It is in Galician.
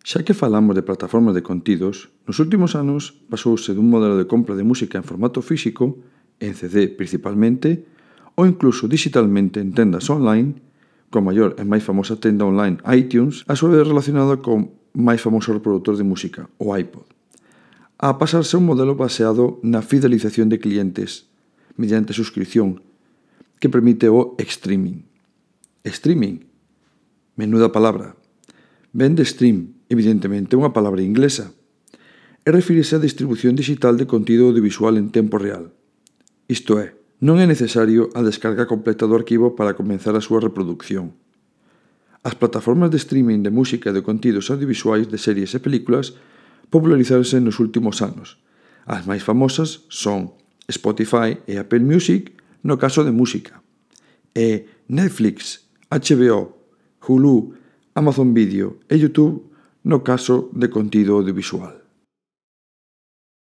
Xa que falamos de plataformas de contidos, nos últimos anos pasouse dun modelo de compra de música en formato físico, en CD principalmente, ou incluso digitalmente en tendas online, coa maior e máis famosa tenda online iTunes, a súa vez relacionada co máis famoso reproductor de música, o iPod, a pasarse a un modelo baseado na fidelización de clientes mediante suscripción, que permite o streaming. Streaming, menuda palabra. Ven de stream, evidentemente unha palabra inglesa, e refírese á distribución digital de contido audiovisual en tempo real. Isto é, non é necesario a descarga completa do arquivo para comenzar a súa reproducción. As plataformas de streaming de música e de contidos audiovisuais de series e películas popularizáronse nos últimos anos. As máis famosas son Spotify e Apple Music no caso de música, e Netflix, HBO, Hulu, Amazon Video e YouTube no caso de contido audiovisual.